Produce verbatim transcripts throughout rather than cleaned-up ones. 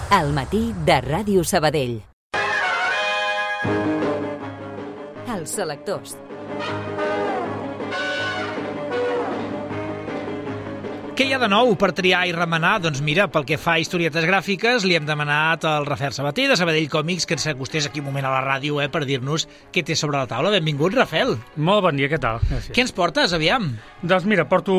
Al matí de Ràdio Sabadell. Els selectors. Què hi ha de nou per triar i remenar? Doncs mira, pel que fa a historietes gràfiques, li hem demanat al Rafael Sabater de Sabadell Còmics que ens acostés aquí un moment a la ràdio eh, per dir-nos què té sobre la taula. Benvingut, Rafael. Molt bon dia, què tal? Gràcies. Què ens portes, aviam? Doncs mira, porto,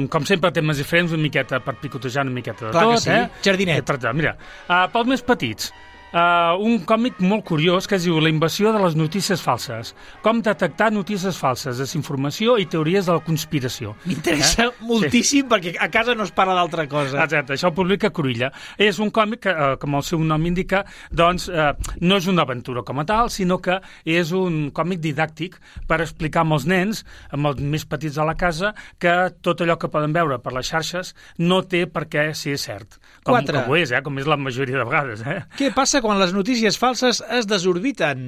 com sempre, temes diferents, una miqueta per picotejar una miqueta de Clar tot. Que sí. Eh? Jardinet. Eh, per tant, mira, uh, pels més petits, Uh, un còmic molt curiós que es diu La invasió de les notícies falses. Com detectar notícies falses, desinformació i teories de la conspiració. M'interessa eh? moltíssim sí. perquè a casa no es parla d'altra cosa. Exacte, això ho publica Cruïlla. És un còmic que, uh, com el seu nom indica, doncs uh, no és una aventura com a tal, sinó que és un còmic didàctic per explicar als nens, amb els més petits de la casa, que tot allò que poden veure per les xarxes no té per què ser cert. Com, Quatre. Com ho és, eh? Com és la majoria de vegades. Eh? Què passa quan les notícies falses es desorbiten?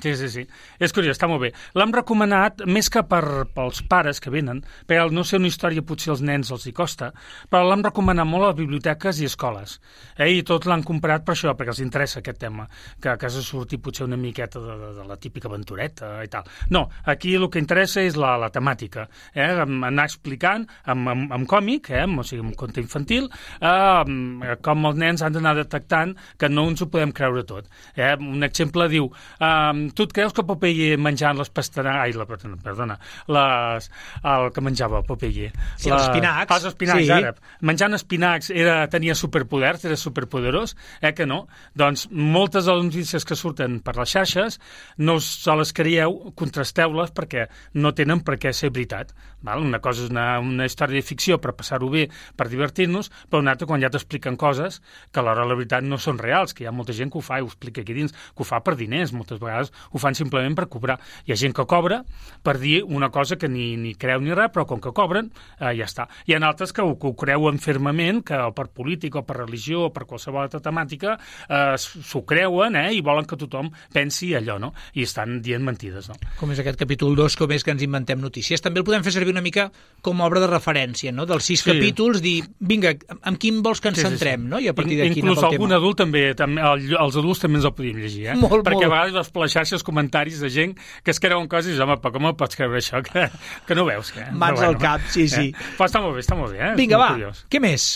Sí, sí, sí. És curiós, està molt bé. L'hem recomanat més que per, pels pares que venen, perquè al no ser una història potser als nens els hi costa, però l'hem recomanat molt a biblioteques i escoles. Eh? I tots l'han comprat per això, perquè els interessa aquest tema, que a casa surti potser una miqueta de, de, de la típica aventureta i tal. No, aquí el que interessa és la, la temàtica. Eh? Anar explicant amb, amb, amb còmic, eh? o sigui, amb conte infantil, eh? com els nens han d'anar detectant que no ens ho podem creure tot. Eh? Un exemple diu, um, tu et creus que Popeye menjant les pastanagues, ai, la, perdona, les, el que menjava Popeye. Sí, la, els espinacs. Els espinacs, sí. ara. Menjant espinacs era, tenia superpoders, era superpoderós, eh que no? Doncs moltes de les notícies que surten per les xarxes no se les creieu, contrasteu-les perquè no tenen per què ser veritat. Val? Una cosa és una, una història de ficció per passar-ho bé, per divertir-nos, però una altra quan ja t'expliquen coses que alhora la veritat no són reals, que hi ha molta gent que ho fa i ho explica aquí dins, que ho fa per diners, moltes vegades ho fan simplement per cobrar. Hi ha gent que cobra per dir una cosa que ni, ni creu ni res, però com que cobren, eh, ja està. Hi ha altres que ho, que ho creuen fermament, que per política o per religió o per qualsevol altra temàtica eh, s'ho creuen eh, i volen que tothom pensi allò, no? I estan dient mentides, no? Com és aquest capítol dos, com és que ens inventem notícies. També el podem fer servir una mica com a obra de referència, no? Dels sis sí. capítols, dir, vinga, amb quin vols que ens sí, centrem, sí, sí. no? I a partir d'aquí inclús algun adult també, també el, els adults també ens el podíem llegir, eh? Molt, perquè molt. a vegades veus per les xarxes comentaris de gent que es creuen coses i dius, home, però com pots creure això? Que, que no veus, que... Mans bueno, al cap, sí, sí. Eh? Però està molt bé, està molt bé, eh? Vinga, va, curiós. Què més?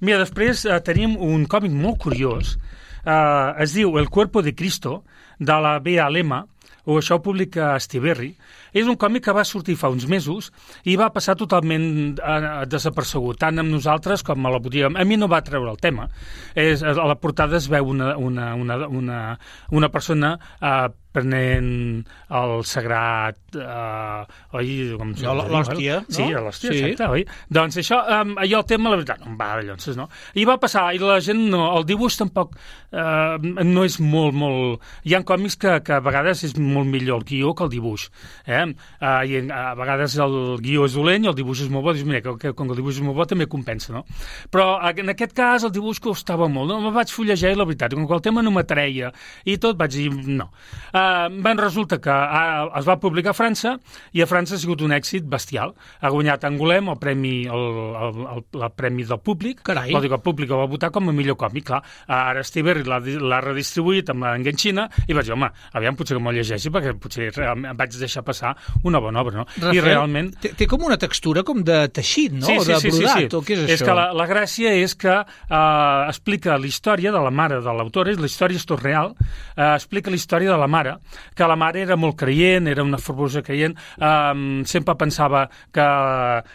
Mira, després eh, tenim un còmic molt curiós, eh, es diu El cuerpo de Cristo, de la Bea Lema, o això ho publica Estiberri. És un còmic que va sortir fa uns mesos i va passar totalment eh, desapercebut, tant amb nosaltres com a la botiga. A mi no va treure el tema. És, a la portada es veu una, una, una, una, una persona eh, prenent el sagrat, eh, oi? Com l'hòstia, no? Sí, l'hòstia, sí. exacte, oi? Doncs això, um, allò el tema, la veritat, no em va, llavors, no? I va passar, i la gent no, el dibuix tampoc eh, no és molt, molt... Hi ha còmics que, que a vegades és molt millor el guió que el dibuix, eh? Uh, i a vegades el guió és dolent i el dibuix és molt bo, dius, mira, que, que com que el dibuix és molt bo també compensa, no? Però en aquest cas el dibuix costava molt, no? Me vaig fullejar i la veritat, com que el tema no m'atreia i tot, vaig dir, no. Uh, ben resulta que uh, es va publicar a França i a França ha sigut un èxit bestial. Ha guanyat Angoulême el premi, el, el, el, el premi del públic. Carai. Vol dir que el públic el va votar com a millor còmic, clar. Ara Estiberri l'ha redistribuït amb l'enganxina i vaig dir, home, aviam, potser que m'ho llegeixi perquè potser em vaig deixar passar una bona obra, no? Rafael, I realment... Té, té com una textura com de teixit, no? Sí, o sí, de sí, brodat, sí, sí. o què és, és això? És que la, la gràcia és que eh, explica la història de la mare de l'autor, la història és tot real, eh, explica la història de la mare, que la mare era molt creient, era una fervorosa creient, eh, sempre pensava que,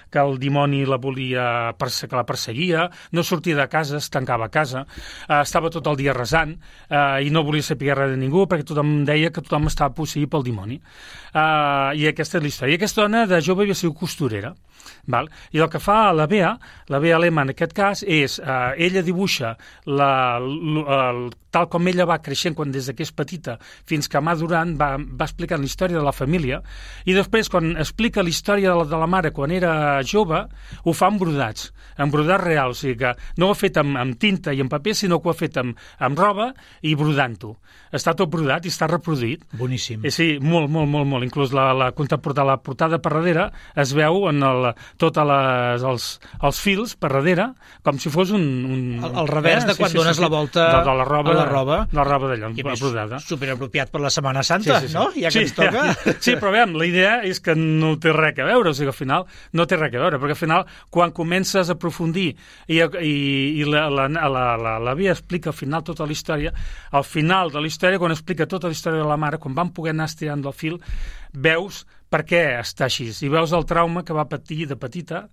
que el dimoni la volia, que la perseguia, no sortia de casa, es tancava a casa, eh, estava tot el dia resant eh, i no volia saber res de ningú perquè tothom deia que tothom estava posseït pel dimoni. Uh, I aquesta és la història. I aquesta dona de jove havia sigut costurera. Val? I el que fa la Bea, la Bea Lema en aquest cas, és, uh, ella dibuixa la, la, la, tal com ella va creixent quan des que és petita fins que madurant va, va explicant la història de la família i després quan explica la història de la, de la mare quan era jove ho fa amb brodats, amb brodats reals, o sigui que no ho ha fet amb, amb tinta i amb paper sinó que ho ha fet amb, amb roba i brodant-ho. Està tot brodat i està reproduït. Boníssim. Eh, sí, molt, molt, molt, molt. Inclús la, la, la portada per darrere es veu en el, la, tota les, els, els fils per darrere, com si fos un... un el, el revers eh? de quan sí, sí, dones sí, la volta de, de la roba, a la roba. De la roba d'allò, brodada. Superapropiat per la Setmana Santa, sí, sí, sí. no? Ja que sí, ens toca. Ja. Sí, però veiem, la idea és que no té res a veure, o sigui, al final no té res a veure, perquè al final, quan comences a aprofundir i, i, i la, la, la, la, la Via explica al final tota la història, al final de la història, quan explica tota la història de la mare, quan van poder anar estirant del fil, veus per què està així, i veus el trauma que va patir de petita,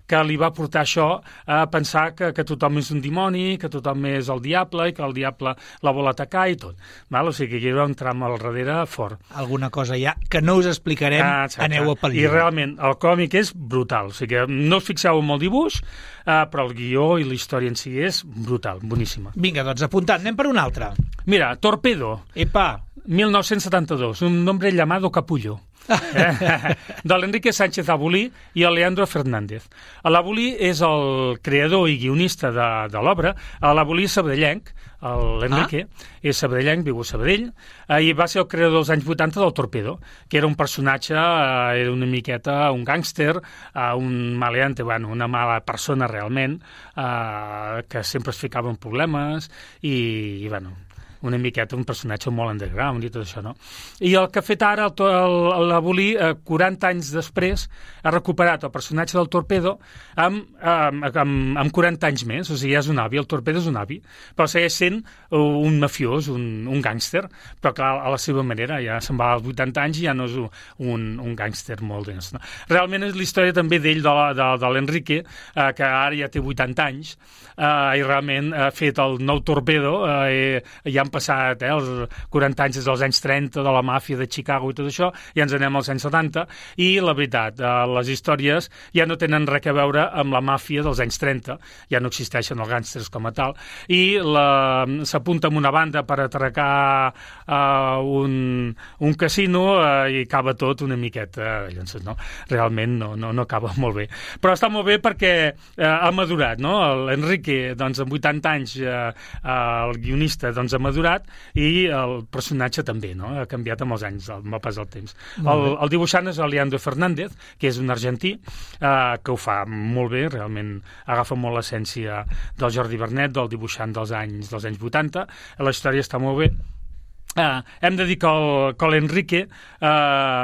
que li va portar això a pensar que, que tothom és un dimoni, que tothom és el diable i que el diable la vol atacar i tot. Val? O sigui que hi ha un tram al darrere fort. Alguna cosa ja que no us explicarem, ah, aneu a pel llibre. I realment el còmic és brutal, o sigui que no us fixeu en el dibuix, eh, però el guió i la història en si és brutal, boníssima. Vinga, doncs apuntat, anem per un altre. Mira, Torpedo. Epa! mil nou-cents setanta-dos, un nombre llamado Capullo. eh? de l'Enrique Sánchez Abulí i el Leandro Fernández. L'Abulí és el creador i guionista de, de l'obra. L'Abulí és sabadellenc, l'Enrique ah? és sabadellenc, viu a Sabadell, eh, i va ser el creador dels anys vuitanta del Torpedo, que era un personatge, eh, era una miqueta un gàngster, eh, un maleante, bueno, una mala persona realment, eh, que sempre es ficava en problemes i, i bueno... una miqueta, un personatge molt underground i tot això, no? I el que ha fet ara l'Abulí, eh, quaranta anys després, ha recuperat el personatge del Torpedo amb, amb, amb, amb quaranta anys més, o sigui, ja és un avi, el Torpedo és un avi, però segueix sent un mafiós, un, un gàngster, però clar, a la seva manera, ja se'n va als vuitanta anys i ja no és un, un gàngster molt dens, no? Realment és la història també d'ell, de, de, de l'Enrique, eh, que ara ja té vuitanta anys, eh, i realment ha fet el nou Torpedo, eh, i ja han passat eh, els quaranta anys des dels anys trenta de la màfia de Chicago i tot això, i ens anem als anys setanta, i la veritat, eh, les històries ja no tenen res a veure amb la màfia dels anys trenta, ja no existeixen els gàngsters com a tal, i s'apunta amb una banda per atracar eh, un, un casino eh, i acaba tot una miqueta, eh, llavors, no? Realment no, no, no acaba molt bé. Però està molt bé perquè eh, ha madurat, no? L'Enrique, doncs, amb vuitanta anys, eh, el guionista, doncs, ha madurat, i el personatge també, no? Ha canviat amb els anys, amb el pas del temps. El, el dibuixant és el Leandro Fernández, que és un argentí, eh, que ho fa molt bé, realment agafa molt l'essència del Jordi Vernet, del dibuixant dels anys dels anys vuitanta. La història està molt bé. Uh, hem de dir que l'Enrique uh,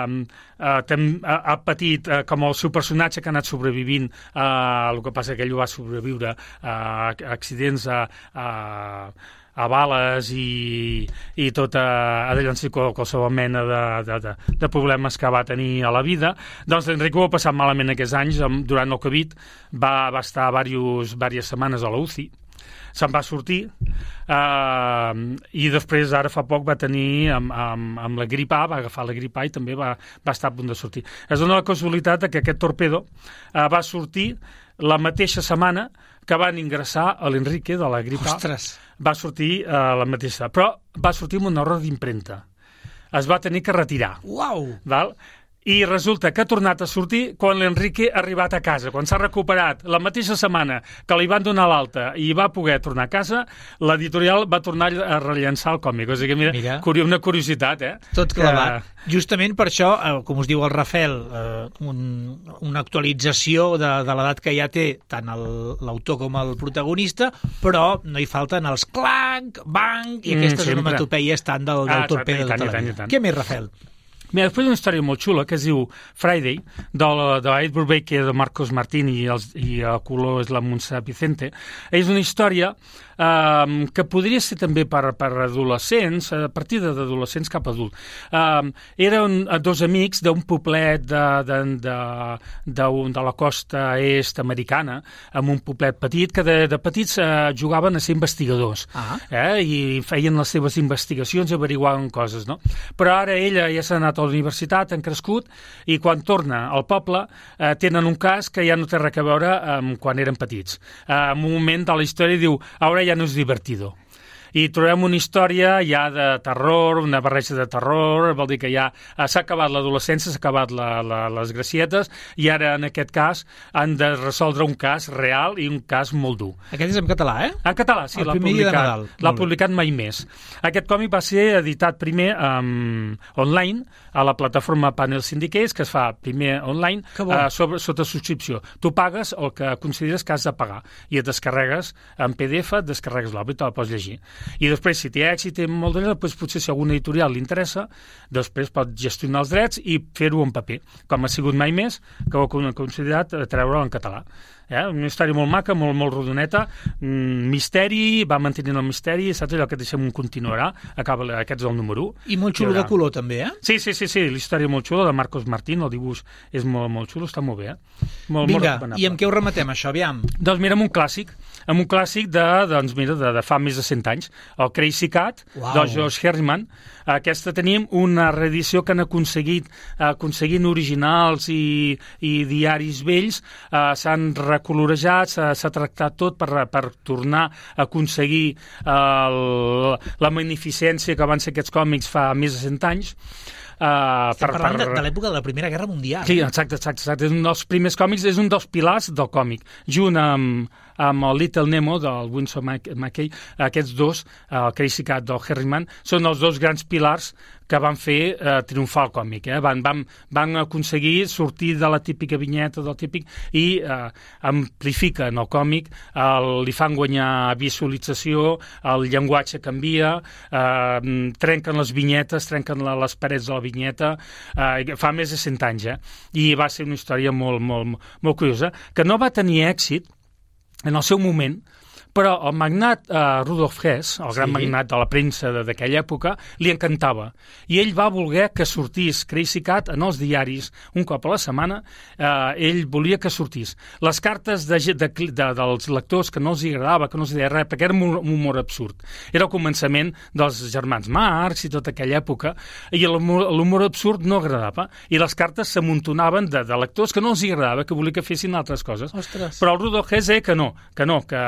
uh, tem, uh, ha patit uh, com el seu personatge que ha anat sobrevivint, uh, el que passa que ell va sobreviure a uh, accidents, a, a, a bales i, i tota a llançar qualsevol mena de, de, de, de problemes que va tenir a la vida. Doncs l'Enrique ho ha passat malament aquests anys. Durant el Covid va, va estar diverses, diverses setmanes a la U C I, se'n va sortir, eh, i després ara fa poc va tenir amb, amb, amb la grip A, va agafar la grip A i també va, va estar a punt de sortir. És una casualitat que aquest Torpedo eh, va sortir la mateixa setmana que van ingressar a l'Enrique de la grip A. Ostres! Va sortir eh, la mateixa, però va sortir amb un error d'impremta. Es va tenir que retirar. Uau! Val? I resulta que ha tornat a sortir quan l'Enrique ha arribat a casa. Quan s'ha recuperat la mateixa setmana que li van donar l'alta i va poder tornar a casa, l'editorial va tornar a rellençar el còmic. O sigui, mira, mira. una curiositat, eh? Tot clavat. Que... Justament per això, eh, com us diu el Rafael, eh, un, una actualització de, de l'edat que ja té tant l'autor com el protagonista, però no hi falten els clanc, bang, i aquestes mm, onomatopeies tant del, del ah, Torpedo de tota la vida. Què més, Rafael? Mira, després una història molt xula que es diu Friday, de, de Ed Brubaker, de Marcos Martín i, els, i el color és la Montserrat Vicente. És una història eh, que podria ser també per, per adolescents, a partir d'adolescents cap a adult. Eh, eren dos amics d'un poblet de, de, de, de, de la costa est americana, amb un poblet petit, que de, de petits eh, jugaven a ser investigadors, ah. eh, i feien les seves investigacions i averiguaven coses, no? Però ara ella ja s'ha anat a la universitat, han crescut, i quan torna al poble eh, tenen un cas que ja no té res a veure amb quan eren petits. Eh, en un moment de la història diu, ara ja no és divertido. I trobem una història ja de terror, una barreja de terror, vol dir que ja s'ha acabat l'adolescència, s'ha acabat la, la, les gracietes, i ara, en aquest cas, han de resoldre un cas real i un cas molt dur. Aquest és en català, eh? En català, sí, l'ha publicat, l'ha publicat Mai Més. Aquest còmic va ser editat primer um, online, a la plataforma Panel Syndicates, que es fa primer online, uh, sobre, sota subscripció. Tu pagues el que consideres que has de pagar i et descarregues en P D F, et descarregues l'obra i te la pots llegir. I després, si té èxit i molt de doncs, potser si alguna editorial li interessa, després pot gestionar els drets i fer-ho en paper, com ha sigut Mai Més, que ho ha considerat treure'l en català. Eh? Una història molt maca, molt, molt rodoneta, mm, misteri, va mantenint el misteri, saps allò que deixem un continuarà, acaba, aquest és el número u. I molt xulo de color també, eh? Sí, sí, sí, sí, la història molt xula, de Marcos Martín, el dibuix és molt, molt xulo, està molt bé, eh? Molt, Vinga, molt i amb què ho rematem, això, aviam? Doncs mira, amb un clàssic, amb un clàssic de, doncs mira, de, de fa més de cent anys, el Crazy Cat, wow. de George Herriman. Aquesta tenim una reedició que han aconseguit, aconseguint originals i, i diaris vells, eh, s'han recolorejat, s'ha tractat tot per, per tornar a aconseguir eh, la magnificència que van ser aquests còmics fa més de cent anys. Uh, Estem per, parlant per... de, de l'època de la Primera Guerra Mundial. Sí, exacte, exacte, exacte. És un dels primers còmics, és un dels pilars del còmic. Junt amb, amb el Little Nemo, del Winsor McCay, aquests dos, el Crazy Cat del Herriman, són els dos grans pilars que van fer eh, triomfar el còmic. Eh? Van, van, van aconseguir sortir de la típica vinyeta, del típic, i eh, amplifiquen el còmic, el, li fan guanyar visualització, el llenguatge canvia, eh, trenquen les vinyetes, trenquen la, les parets de la vinyeta, eh, fa més de cent anys, eh? I va ser una història molt, molt, molt curiosa, que no va tenir èxit en el seu moment, però el magnat eh, Rudolf Hess, el gran sí. magnat de la premsa d'aquella època, li encantava. I ell va voler que sortís Crazy Cat en els diaris un cop a la setmana. Eh, ell volia que sortís. Les cartes de, de, de, dels lectors que no els agradava, que no els deia res, perquè era un humor absurd. Era el començament dels germans Marx i tota aquella època, i l'humor absurd no agradava. I les cartes s'amuntonaven de, de lectors que no els agradava, que volia que fessin altres coses. Ostres. Però el Rudolf Hess deia que no, que no, que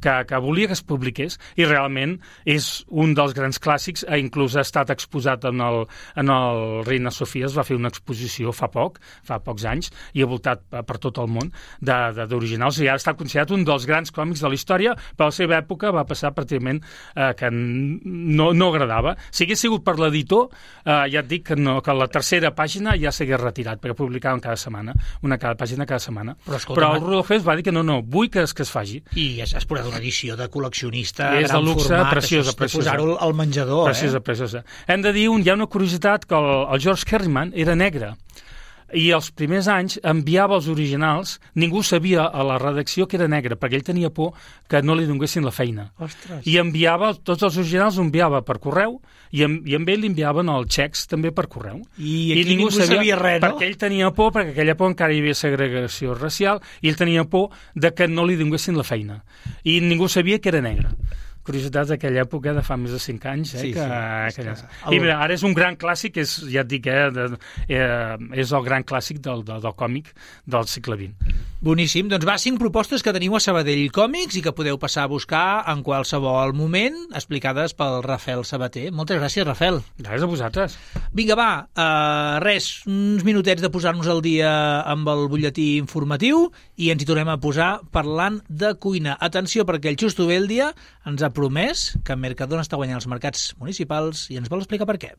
Que, que volia que es publiqués, i realment és un dels grans clàssics, inclús ha estat exposat en el, en el Reina Sofia, es va fer una exposició fa poc, fa pocs anys, i ha voltat per tot el món d'originals, i ha estat considerat un dels grans còmics de la història, però a la seva època va passar pràcticament eh, que no, no agradava. Si hagués sigut per l'editor, eh, ja et dic que, no, que la tercera pàgina ja s'hagués retirat, perquè publicaven cada setmana, una cada pàgina cada setmana. Però, escolta, però el Rudolf Hess va dir que no, no, vull que es, que es faci. I ja has posat una edició de col·leccionista, és gran de luxe, format, preciosa, això, preciosa. posar-ho al menjador, preciosa, eh? Preciosa. Hem de dir, un, hi ha una curiositat, que el, el George Herriman era negre, i els primers anys enviava els originals, ningú sabia a la redacció que era negre, perquè ell tenia por que no li donessin la feina. Ostres. I enviava, tots els originals els enviava per correu, i, en, i amb ell li enviaven els xecs també per correu. I aquí I ningú, ningú sabia, sabia res, no? Perquè ell tenia por, perquè aquella por encara hi havia segregació racial, i ell tenia por de que no li donessin la feina. I ningú sabia que era negre. Curiositats d'aquella època de fa més de cinc anys, eh? Sí, que, sí. que... I mira, ara és un gran clàssic, és, ja et dic, eh, de, eh, és el gran clàssic del, del, del còmic del segle vint. Boníssim. Doncs va, cinc propostes que teniu a Sabadell Còmics i que podeu passar a buscar en qualsevol moment, explicades pel Rafael Sabater. Moltes gràcies, Rafael. Gràcies a vosaltres. Vinga, va, uh, res, uns minutets de posar-nos al dia amb el butlletí informatiu i ens hi tornem a posar parlant de cuina. Atenció, perquè el Xusto Bèldia ens ha promès que Mercadona està guanyant els mercats municipals i ens vol explicar per què.